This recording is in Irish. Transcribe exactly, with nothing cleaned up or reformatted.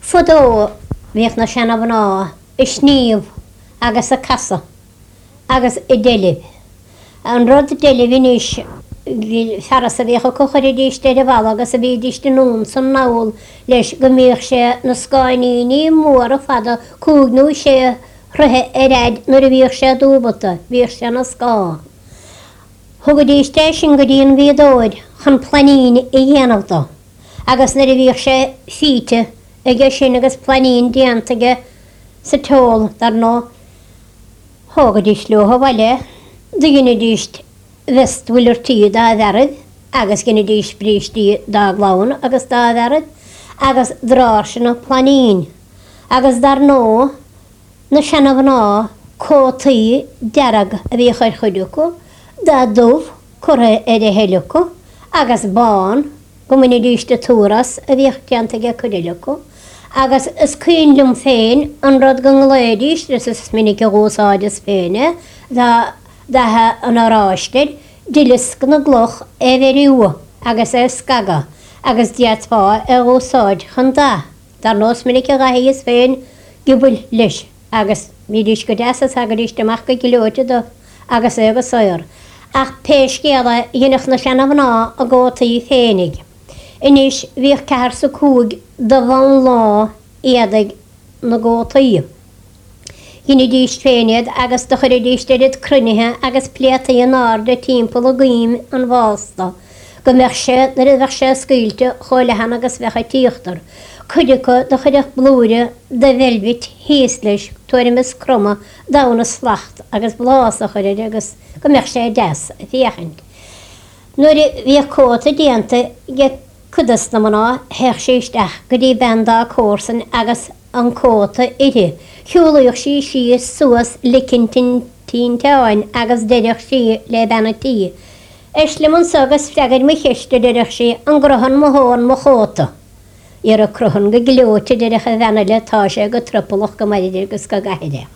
Fadó bhíodh na seana-mhná ag sníomh agus ag casadh agus ag deilbh. An rud deilbh anois, fearas a bhíodh acu chuiridíst ar an bhalla agus a bhídíst anonn 's anall leis go mbíodh sé 'na scáinníní móra fada cúig nó sé throithe ar fhaid nuair a bhíodh sé dúbalta, bhíodh sé 'na scáth. Thugaidíst é sin go dtí an bhfíodóir chun plainín a dhéanamh do agus nuair a bhíodh sé fíte aige sin agus plainín déanta aige sa tseol, dar ndóigh, thógaidíst leo abhaile é, do dheinidíst vest mhuileartaí dá bhfearaibh agus dheinidíst brístí dá gclann agus dá bhfearaibh agus dráirseanna plainín agus dar ndóigh, Na seana-mhná, cótaí dearg a bhíodh ar chuid acu, dath dubh curtha ar a thuilleadh acu, agus bán, go mbainidíst an tuar as, a bhíodh déanta ag cuid eile acu. Agus is cuimhin liom féin an rud go nglaoidíst, is is minic a dh'úsáideas féin é, tá dath an oráiste air, duileasc na gcloch é bheiriú agus é scagadh, agus d'fhéadfá é dh'úsáid chun dath. Dar ndóigh is minic a dhathaíos féin giobail leis agus bhídís go deas is thagaidíst amach go gleoite dubh agus é go saor. Ach pé scéal é dheineadh na seana-mhná a gcótaí féinig. Anois bhíodh ceathair 's a cúig de mhánlá éadaigh na gcótaí. Dheinidíst féin iad agus do chuiridíst oiread cruinnithe agus pléataí in airde timpeall i gcoim an bhásta go mbeadh sé, nuair a bheadh sé scaoilte, chomh leathan agus bheadh an t-íochtar. Cuid acu do chuirfeadh blúire de veilbhit thíos leis, tuairim is cromadh d'fhonn a slacht agus blás a chur air agus go mbeadh sé deas a féachaint. Nuair a bhíodh cóta déanta ag cuid des na mná théadh sí isteach go dtí bean dá comharsain agus an cóta uirthi. Shiúlaíodh sí síos suas lic an tinteáin agus deireadh sí le bean an tí, Éist liom anso agus freagair mo cheist, a deireadh sí, an gcruthann mo thóin mo chóta? Dhera cruthann go gleoite, a deireadh an bhean eile, tá sé go triopallach go mairid agus go gcaithfir é.